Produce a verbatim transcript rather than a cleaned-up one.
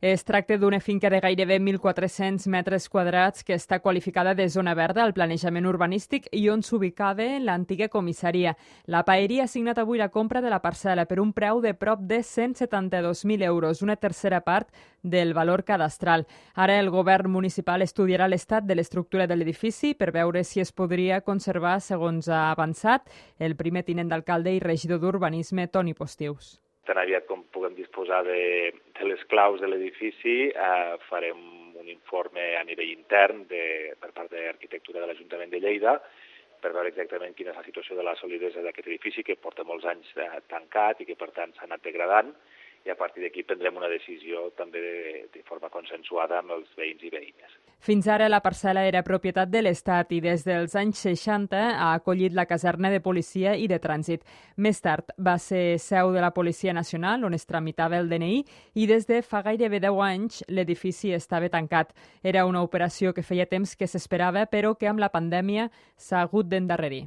Es tracta d'una finca de gairebé mil quatre-cents metres quadrats que està qualificada de zona verda al planejament urbanístic i on s'ubicava l'antiga comissaria. La paeria ha signat avui la compra de la parcel·la per un preu de prop de cent setanta-dos mil euros, una tercera part del valor cadastral. Ara el govern municipal estudiarà l'estat de l'estructura de l'edifici per veure si es podria conservar segons ha avançat el primer tinent d'alcalde i regidor d'urbanisme, Toni Postius. Tan aviat com puguem disposar de, de les claus de l'edifici, eh, farem un informe a nivell intern de, per part de l'Arquitectura de l'Ajuntament de Lleida per veure exactament quina és la situació de la solidesa d'aquest edifici que porta molts anys eh, tancat i que per tant s'ha anat degradant, i a partir d'aquí prendrem una decisió també de, de forma consensuada amb els veïns i veïnes. Fins ara la parcel·la era propietat de l'Estat i des dels anys seixanta ha acollit la caserna de policia i de trànsit. Més tard va ser seu de la Policia Nacional, on es tramitava el D N I, i des de fa gairebé deu anys l'edifici estava tancat. Era una operació que feia temps que s'esperava, però que amb la pandèmia s'ha hagut d'endarrerir.